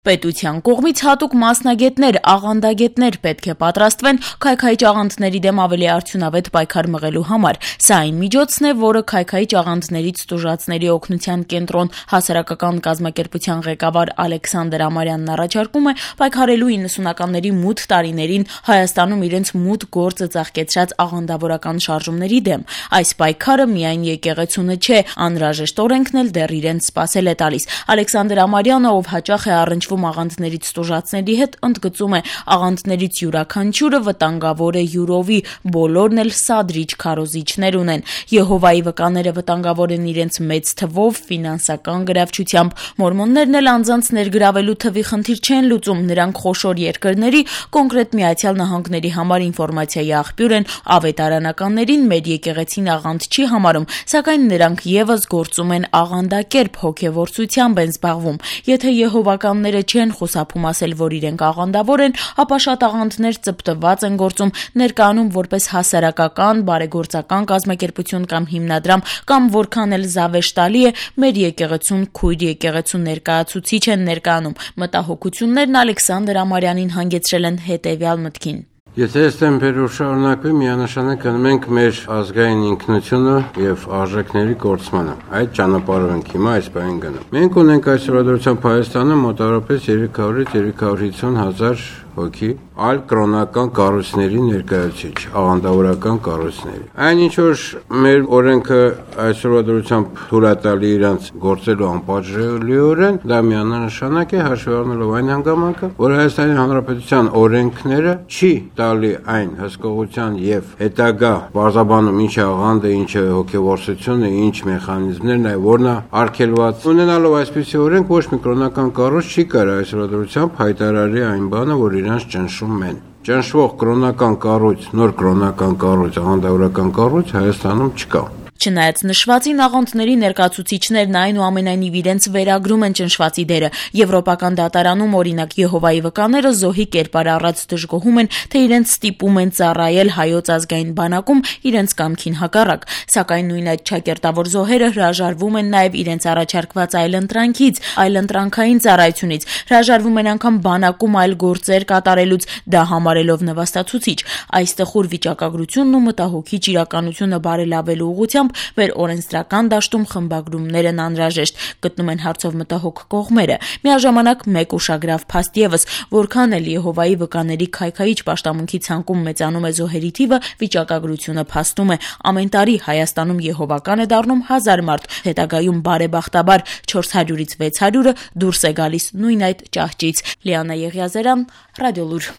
Պետության կողմից հատուկ մասնագետներ, աղանդագետներ պետք է պատրաստվեն քայքայիչ աղանդների դեմ ավելի արդյունավետ պայքար մղելու համար։ Սա այն միջոցն է, որը քայքայիչ աղանդներից տուժածների օգնության կենտրոն հասարակական կազմակերպության ղեկավար Ալեքսանդր Ամարյանն առաջարկում է պայքարելու 90-ականների մութ տարիներին Հայաստանում իրենց մութ գործը ծաղկեցրած աղանդավորական շարժումների դեմ։ Այս պայքարը միայն եկեղեցունը չէ, անհրաժեշտ օրենքն էլ դեռ իրենց սպասել է տալիս։ Ալեքսանդր Ամարյանը, ով հաճախ է առնչվում աղանդներից տուժածների հետ, ընդգծում է, աղանդներից յուրաքանչյուրը վտանգավոր է յուրովի, բոլորն էլ սադրիչ քարոզիչներ ունեն։ Եհովայի վկաները վտանգավոր են իրենց մեծ թվով, ֆինանսական գրավչությամբ։ Մորմոններն էլ անձանց ներգրավելու թվի խնդիր չեն լուծում, նրանք խոշոր երկրների, կոնկրետ Միացյալ Նահանգների համար ինֆորմացիայի աղբյուր են, ավետարանականներին մեր եկեղեցին աղանդ չի համարում, սակայն նրանք ևս գործում են աղանդակերպ, հոգևորցությամբ են զբաղվում։ Եթե եհովականները չեն խուսափում ասել, որ իրենք աղանդավոր են, ապա շատ աղանդներ ծպտված են գործում, ներկայանում որպես հասարակական, բարեգործական կազմակերպություն կամ հիմնադրամ, կամ որքան էլ զավեշտալի է, մեր եկեղեցուն քույր եկեղեցու ներկայացուցիչ են ներկայանում։ Մտահոգություններն Ալեքսանդր Ամարյանին հանգեցրել են հետևյալ մտքին. Եթե այս տեմպերով շարունակվի, միանշանակ կնմենք մեր ազգային ինքնությունը եւ արժեքների կորցմանը։ Այդ ճանապարհով ենք հիմա այս բանին գնում։ Մենք ունենք այսօր դրությամբ Հայաստանում մոտավորապես 300-ից 350 հազար հոգի այլ կրոնական կառույցների ներկայացուցիչ, աղանդավորական կառույցների։ Այն ինչ որ մեր օրենքը այսօրվա դրությամբ թույլատալի իրանց գործելու անպատժելիորեն, դա միանշանակ է հաշվի առնելով այն հանգամանքը, որ Հայաստանի Հանրապետության օրենքները չի տալի այն հսկողության եւ հետագա բարձաբանում ինչ է աղանդը, ինչ է հոգեվորսությունը, ինչ մեխանիզմներն է, որն է արգելված։ Ունենալով այսպիսի օրենք, ոչ մի կրոնական կառույց չի կարող այսօրվա դրությամբ հայտարարի այն բանը, որ իրանց ճնշում են։ Ճնշվող կրոնական կառույց, նոր կրոնական կառույց, աղանդավորական կառույց Հայաստանում չկա։ Չնայած նշվածին, աղանդների ներկայացուցիչներն այնուամենայնիվ իրենց վերագրում են ճնշվածի դերը։ Եվրոպական դատարանում, օրինակ, Եհովայի վկաները զոհի կերպար առած դժգոհում են, թե իրենց ստիպում են ծառայել Հայոց ազգային բանակում իրենց կամքին հակառակ։ Սակայն նույն այդ չակերտավոր զոհերը հրաժարվում են նաև իրենց առաջարկված այլընտրանքից, այլընտրանքային ծառայությունից, հրաժարվում են անգամ բանակում այլ գործեր կատարելուց, դա համարելով նվաստացուցիչ։ Այս տխուր վիճակագրությունն ու մտահոգիչ իրականությունը բարելավելու ուղղությամբ մեր օրենսդրական դաշտում խմբագրումներն անհրաժեշտ, գտնում են հարցով մտահոգ կողմերը։ Միաժամանակ մեկ ուշագրավ փաստ ևս, որքան էլ Եհովայի վկաների քայքայիչ պաշտամունքի ցանկում մեծանում է զոհերի թիվը, վիճակագրությունը փաստում է, ամեն տարի Հայաստանում եհովական է դառնում 1000 մարդ, հետագայում բարեբախտաբար 400-ից 600-ը դուրս է գալիս նույն այդ ճահճից։ Լիանա Եղիազարյան, Ռադիոլուր։